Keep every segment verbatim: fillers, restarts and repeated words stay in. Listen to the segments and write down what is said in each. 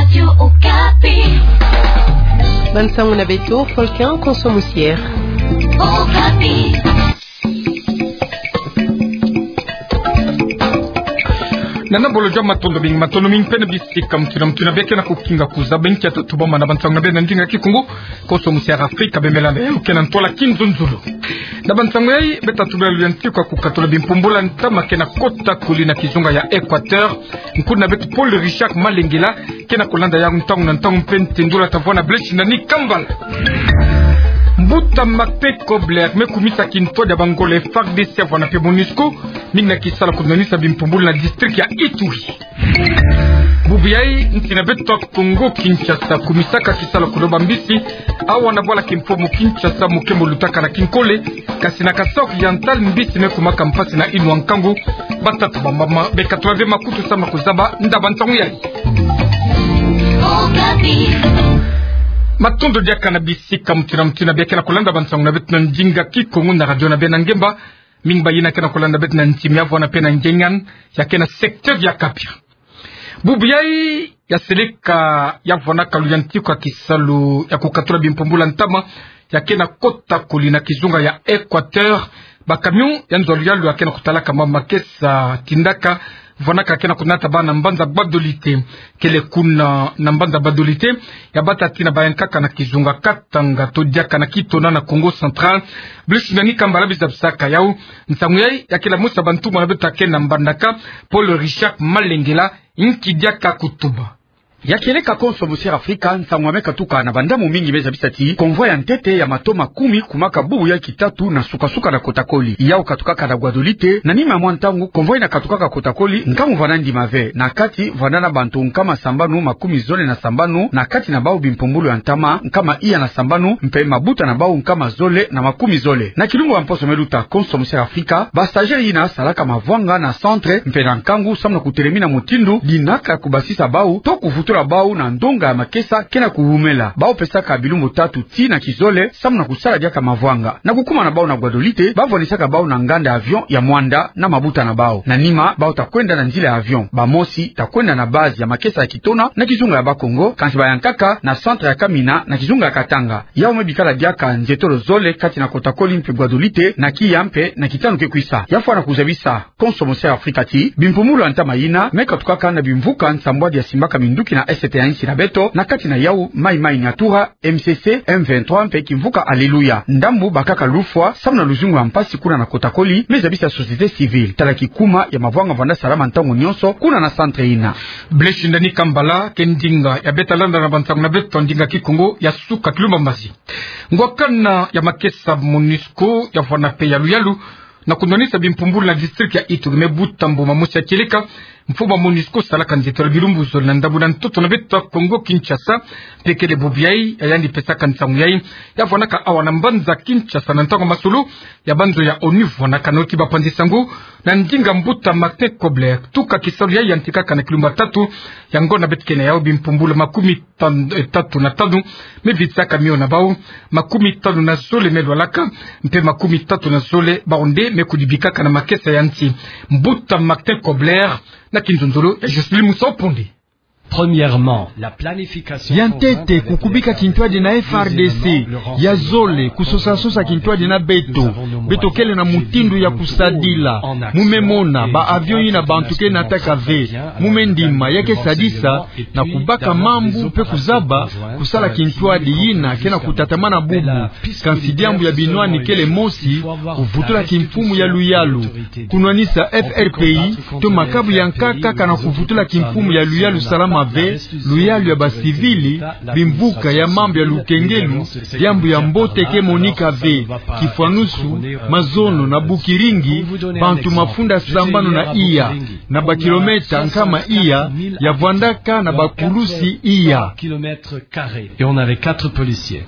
Radio Okapi. Bansango na beto, Volcan Konso Musiere. Okapi. Nana bolo jama, matondo mingi, matondo mingi mpe na bisika mutindu na mutindu na bie ke na kukinga kuzaba nkia tatu bâ ma na bansango na bie na ndinga Kikongo. Konso Musiere Afrika, bembela na yo ke na ntwala Kinzonzolo. Na bansango yai, beta tubela luyantiku ya kukatula bimpumbulu ya ntama ke na kota koli na kizunga ya Equateur. Nkuna beto Paul Richard Malengela ke na kulanda yau ntangu na ntangu mpe ntendula ta vwa na Blaise Nani Kambala. Mbuta Martin Kobler me kumisa kintwadi ya bangole F A R D C ya vwanda mpe MONUSCO, mingi na kisalu ya kunwanisa bimpumbulu na district ya Ituri. Bubu yai, nsi na beto Kongo Kinshasa kumisaka kisalu ya kudoba mbisi, awa na bwala kimfumu Kinshasa mu kembo lutaka na kinkole, kasi na Kasaï Oriental mbisi me kumaka mpasi na inwa nkangu. Batata bambama bekatula ve makutu samu na kuzaba nda bansango yai. Matondo diaka na bisika mutindu na mutindu na bie ke na kulanda bansango na beto na ndinga Kikongo na radio na bie na ngemba. Mingi bayina ke na kulanda beto na ntimi ya vwanda mpe na ngengan, ya ke na secteur ya Kapia. Bubu yai, ya seleka ya vwandaka luyantiku ya kisalu ya kukatula bimpumbulu ya ntama, ya ke na kota koli na kizunga ya Equateur. Ba camion ya nzo ya luyalu ya ke na kutalaka ma makesa tindaka, vwandaka ke na kunata bana mbanza Gbadolite. Kele kuna na mbanza Gbadolite, ya bata tii na bayankaka na kizunga Katanga to diaka na Kitona na Kongo Central. Blaise Nani Kambala bizabisaka yau. Nsangu yai ya kele musa bantumona beto ke na mbandaka, Paul Richard Malengela, nki diaka kutuba. Ya kieleka Konso Musiere Afrika, nsangu ya me katuka na bandamu mingi me zabisa ti convoi ya ntete ya mato makumi kumaka bubu ya kitatu na suka-suka na kota koli. Yau katukaka na Gbadolite, na nima ya mwa ntangu convoi na katukaka kota koli, nkangu vwanda ndima ve. Na kati vwanda na bantu nkama sambanu makumi zole na sambanu, na kati na bau bimpumbulu ya ntama nkama iya na sambanu, mpe mabuta na bau nkama zole na makumi zole. Na kilumbu ya mposo me luta, Konso Musiere Afrika, ba stagiaires yina salaka mavwanga na centre mpe na nkangu samu na kutelemina mutindu dinaka ya kubasisa bau to kuvutula bau na ndonga ya makesa ke na kuwumela. Bau pesaka bilumbu tatu tii na kizole samu na kusala diaka mavwanga. Na kukuma na bau na Gbadolite, ba vwanisaka bau na nganda avion ya Muanda na mabuta na bau. Na nima, bau ta kwenda na nzila ya avion. Bamosi ta kwenda na base ya makesa ya Kitona na kizunga ya Bakongo, kansi bayankaka na centre ya Kamina na kizunga ya Katanga. Yau me bikala diaka nzietolo zole kati na kota koli mpe Gbadolite na kiya mpe na kitanu ke kwisa. Ya fwana kuzabisa Konso Musiere Afrika ti bimpumbulu ya ntama yina me katukaka na bimvuka nsambwadi ya simbaka minduki na est ya nsi na beto, na kati na yau Mai Mai Nyatura, M C C, M vingt-trois mpe kimvuka Alléluia. Ndambu bakaka lufwa samu na luzingu ya mpasi kuna na kota koli, me zabisa société civile. Tala kikuma ya mavwanga vwanda salama ntangu nyonso kuna na centre yina. Blaise Nani Kambala, ke ndinga ya beta landa na bansangu na beto ndinga Kikongo ya suka kilumbu mbazi. Ngwakana ya makesa MONUSCO ya vwanda mpe ya luyalu na kunwanisa bimpumbulu na district ya Ituri me buta mbuma mosi ya kieleka mfumu ya MONUSCO salaka nzietolo bilumbu zole na ndambu na ntoto na beto Kongo Kinshasa. Mpe kele bubu yai ya yandi pesaka nsangu yai, ya vwandaka awa na mbanza Kinshasa na ntangu ya masolo ya banzo ya ONU vwandaka na oti bapanzi sango na ndinga mbuta Martin Kobler. Tuka kisalu yai yantikaka na kilumbu ya tatu ya ngonda beto ke na yau, bimpumbulu makumi tan-, eh, tatu na tanu me vitisaka mio na bau, makumi tanu na zole me lwalaka, mpe makumi tatu na zole bau nde me kudibikaka na makesa ya nsi. Mbuta Martin Kobler na kinzonzolo ya Jocelyn Musoponde. Premièrement, la planification. Ya ntete, kukubika kintwadi na F R D C. Ya zole, kusosa-sosa kintwadi na beto. Beto kele na mutindu ya kusadila. Mu me mona ba avion yina bantu ke nataka ve. Mu me ndima ya ke sadisa na kubaka mambu mpe kuzaba kusala kintwadi yina ke na kutatamana bubu. Kansi diambu ya binwani kele mosi, kuvutula kimfumu ya luyalu, kunwanisa F R P I, to makabu ya nkaka kana kuvutula kimfumu ya luyalu salama ve, luyalu ya ba civils, bimvuka ya mambu ya lukengelu, diambu ya mbote ke monika ve, kifwanusu, mazono na bukiringi, bantu mafunda sambanu na iya, na ba kilomètres nkama iya, ya vwandaka na ba pulusi iya. Et on avait quatre policiers.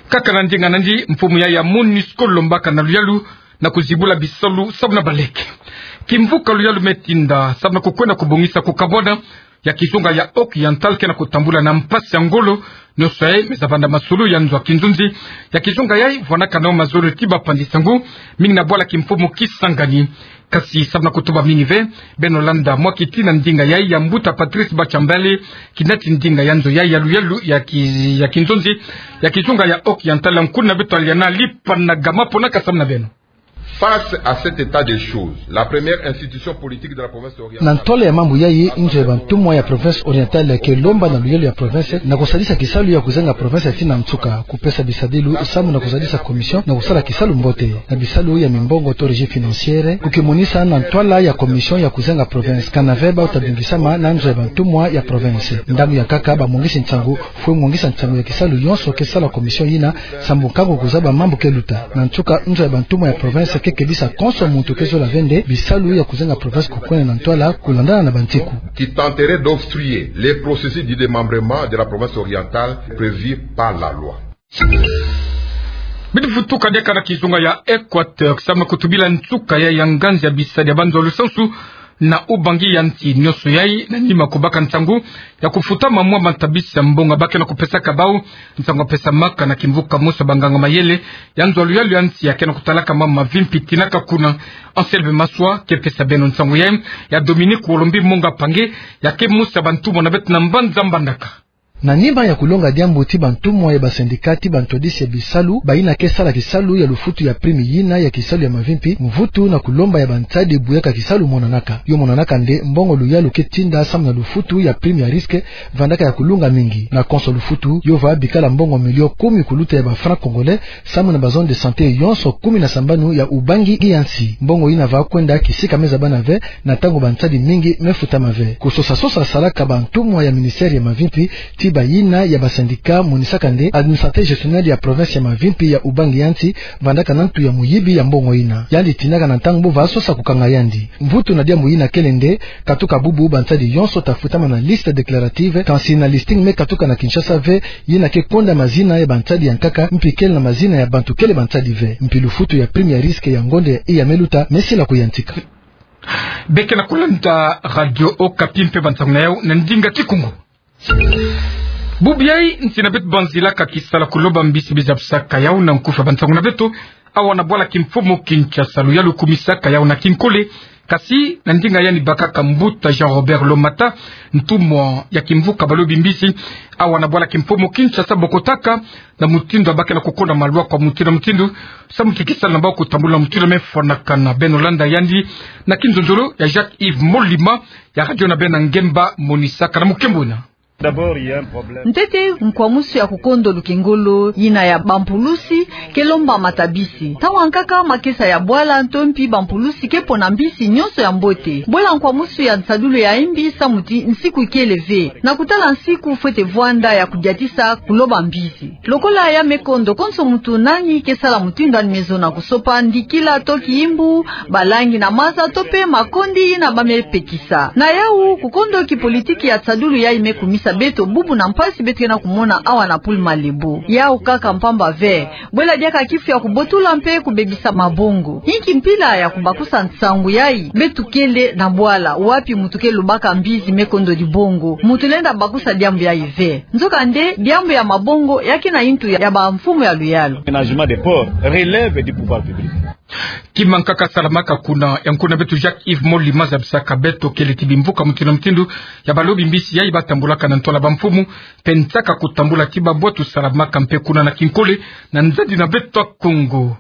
Kaka na ndinga nandi, mfumu ya ya MONUSCO lombaka na luyalu na kuzibula bisalu samu na baleke. Kimvuka luyalu me tinda samu na kukwenda kubongisa kukabwana ya kizunga ya Occidental ke na kutambula na mpasi ya ngolo. Nioso yayi me za vanda masolo ya nzo ya kinzonzi ya kizunga yayi, vwanaka nao mazono ti bapanzi sango mingi na bwala kimfumu Kisangani. Kasi samu na kutuba mingi ve, beno landa mwa kiti na ndinga yayi ya mbuta Patrice Batshambale, kinati ndinga ya nzo yayi ya luyalu ya ki-, ya kinzonzi ya kizunga ya Occidental, nkuna beto Aliana Lipanagama pona kasamna beno. Face à cet état de choses, la première institution politique de la province orientale. Na ntwala ya mambu yayi, nzo ya bantumwa ya province orientale ke lomba na luyalu ya province na kusadisa kisalu ya kuzenga province tii na nsuka, kupesa bisadilu samu na kusadisa commission na kusala kisalu mbote. Na bisalu ya mimbongo to régie financière, kukimonisa na ntwala ya commission ya kuzenga province kana ve bau ta bingisama na nzo ya bantumwa ya province. Ndambu ya nkaka bamongisi nsangu, fwe mongisa nsangu ya kisalu yonso ke sala commission yina, sambu nkangu kuzaba mambu ke luta. Na nsuka, nzo ya bantumwa ya province ke kebisa konso muntu ke zola ve nde bisalu ya kuzenga province kukwenda na ntwala kulandana na bantiku. Qui tenterait d'obstruer les processus de démembrement de la province orientale prévus par la loi. Bidi vutuka diaka na kizunga ya Équateur, samu na kutubila nsuka ya, ya nganzi ya bisadi ya banzo ya lusansu na Ubangi ya nsi. Nioso yayi na nima kubaka nsangu ya kufutama mwa matabisi ya mbongo ba ke na kupesaka bau. Nsangu yapesamaka na kimvuka mosi ya banganga mayele ya nzo ya luyalu ya nsi ya ke na kutalaka mambu mavimpi tinaka kuna. Anselme Maswa ke pesa beno nsangu yayi, ya Dominique Wolombi Monga Pange ya ke mosi ya bantumwa na beto na mbanza Mbandaka. Na nima ya kulonga diambu ti bantumwa ya basendika ti bantwadisi ya bisalu, bayina ke sala kisalu ya lufutu ya prime yina ya kisalu ya mavimpi, mvutu na kulomba ya bansadi buyaka kisalu monanaka. Yo monanaka nde mbongo luyalu ke tinda samu na lufutu ya prime ya risque vandaka ya kulunga mingi. Na konso lufutu, yo va bikala mbongo million kumi kuluta ya ba francs congolais, samu na ba zone de santé yonso kumi na sambanu ya Ubangi ya nsi. Mbongo yina va kwenda kisika me zabana ve, na ntangu bansadi mingi me futama ve. Kusosa-sosa salaka bantumwa ya ministère ya mavimpi ti bayina ya basendika monisaka nde administrateur gestionnaire ya province ya mavimpi ya Ubangi ya nsi vandaka na ntu ya muyibi ya mbongo yina. Yandi tinaka na ntangu bu va sosa kukanga yandi. Mvutu na diambu yina kele nde, katuka bubu bansadi yonso ta futama na liste déclarative, kansi na listing me katuka na Kinshasa ve, yina ke konda mazina ya bansadi ya nkaka, mpi kele na mazina ya bantu kele bansadi ve. Mpi lufutu ya prime ya risque ya ngonde iya me luta, me sila kuyantika. Beke na kulanda Radio Okapi mpe bansangu na yau na ndinga Kikongo. Bubu yayi, nsi na beto banzilaka kisala kuloba mbisi bizabisaka yau na nkufi ya bansangu na beto, awa na bwala kimfumu Kinshasa. Luyalu kumisaka yau na kinkole, kasi na ndinga yandi bakaka mbuta Jean Robert Lomata, ntumwa ya kimvuka balobi mbisi, awa na bwala kimfumu Kinshasa, bokotaka na mutindu ya ba ke na kukonda malwa kwa mutindu na mutindu, samu ti kisala na bau kutambula na mutindu me fwanakana. Beno landa yandi na kinzonzolo ya Jacques Yves Molima ya radio na beno na ngemba monisaka na mukembo ina. D'abord, il y a un problème. Ntete, nkwamusu ya kukondo lukengolo yina ya bampulusi ke lomba matabisi. Ntangu ya nkaka makesa ya bwala nto mpi bampulusi ke pona mbisi yonso ya mbote. Bwela nkwamusu ya nsadulu ya imbi samu ti nsiku ikele ve. Na kutala nsiku fwete vwanda ya kudiatisa kuloba mbisi. Lokola ya me kondo, konso muntu nani ke sala mutindu yandi me zona, kusopa ndikila to kiimbu, balangi na maza to mpe makondi yina ba me pekisa. Na yau, kukondo kipolitiki ya nsadulu yayi me kumisa beto bubu na mpasi beto ke na kumona awa na Pool Malebo. Yau kaka mpamba ve. Bwela diaka kifu ya kubotula mpe kubebisa mabongo. Inki mpila ya kubakusa nsangu yayi? Beto kele na bwala wapi muntu ke lobaka mbisi me kondo dibongo. Muntu lenda bakusa diambu yayi ve. Nzokande, diambu ya mabongo ya ke na yintu ya, ya bamfumu ya luyalu. Aménagement des ports relève du pouvoir public. Kima nkaka salamaka kuna, ya nkuna beto Jacques Yves Molima zabisaka beto kele ti bimvuka mutindu na mutindu ya balobi mbisi yayi batambulaka na ntwala bamfumu, mpe nsaka kutambula ti babwatu salamaka mpe kuna na kinkole, na nzadi na beto ya Kongo.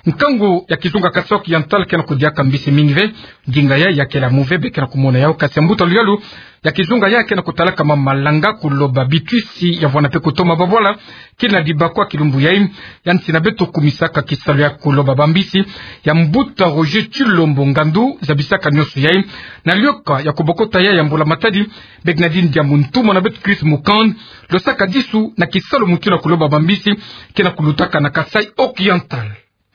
Nkangu ya kizunga Kasaï Oriental ke na kudiaka mbisi mingi ve, ndinga yayi ya kele muve, beke na kumona yau, kasi ya mbuta luyalu ya kizunga yayi ke na kutalaka ma malanga, kuloba bitwisi ya vwanda mpe kutoma babwala, kina dibakwa kilumbu yayi, ya nsi na beto kumisaka kisalu ya kuloba bambisi, ya mbuta Roger Tshilombo Ngandu zabisaka nionso yayi, na lioka ya kubokota yayi ya mbula matadi, beke na dindi ya muntu mwana beto Chris Mukand, losaka disu na kisalu mutindu ya kuloba bambisi, ke na kulutaka na Kasaï Oriental.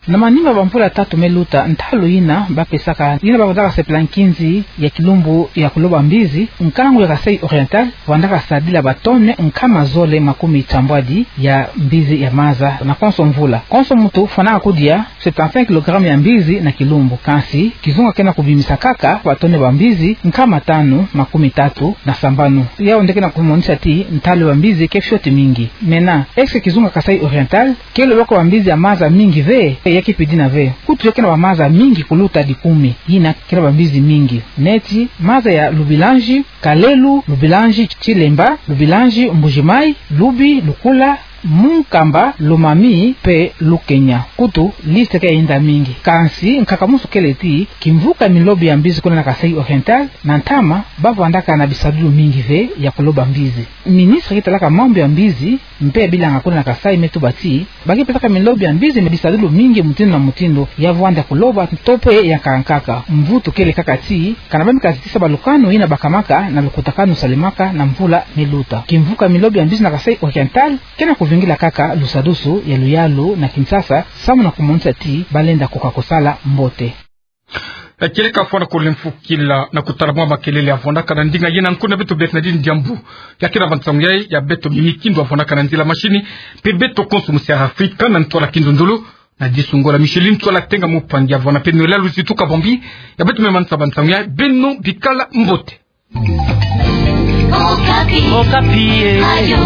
Na manima ma bamvula tatu me luta, ntalu yina bapesaka yina bavwandaka sepela nkinzi ya kilumbu ya kuloba mbizi, nkangu ya Kasaï Oriental vwandaka sadila batone nkama zole makumi tambwadi ya mbizi ya maza na konso mvula. Konso muntu fwanaka kudia septante-cinq kilogrammes ya mbizi na kilumbu. Kansi kizunga kena kubimisa kaka batone ba mbizi nkama tanu makumi tatu na sambanu. Yawu nde kena kumonisa ti ntalu ya bambizi ke fioti mingi. Mena, est-ce que kizunga Kasaï Oriental ke lobaka bambizi ya maza mingi ve? Ya ke pidina ve. Kutu ya kena bamaza mingi kuluta dikumi, yina kena bambizi mingi. Neti maza ya Lubilanji, Kalelu, Lubilanji Tshilembwa, Lubilanji Mbuji-Mayi, Lubi, Lukula, Munkamba, Lomami, mpe Lukenya. Kutu liste ke yenda mingi. Kansi nkaka musu kele ti, kimvuka milobi ya mbizi kuna na Kasaï Oriental, na ntama bavwandaka na bisadulu mingi ve ya kuloba mbizi. Ministre ke talaka mambu ya mbizi mpe bilanga kuna na Kasaï me tuba ti, ba ke pesaka milobi ya mbizi me bisadulu mingi mutindu na mutindu ya vwanda kuloba to mpe ya nkaka nkaka. Mvutu kele kaka ti, kana bami kazitisa balukanu yina bakamaka na lukutakanu salemaka na mvula me luta. Kimvuka milobi ya mbizi na Kasaï Oriental kena kuvingila kaka lusadusu ya luyalu na Kinshasa, samu na kumonisa ti balenda koka kosala mbote. E, kieleka fwana ko lemfukila na kutala mwa makelele ya vwandaka na ndinga yena, nkuna beto Bernardine Diambu ya kena ba nsangu yayi, ya beto Mimi Kindu ya vwandaka na nzila mashini, mpe beto konso musi ya Afrika na ntwala kindundulu, na disungola Micheline Tsola Tenga Mupangi ya vwanda mpe Noëlla Luzitu Kabambi, ya beto me manisa ba nsangu yayi. Beno bikala mbote. Okapi. Okapi, eh. Ayo.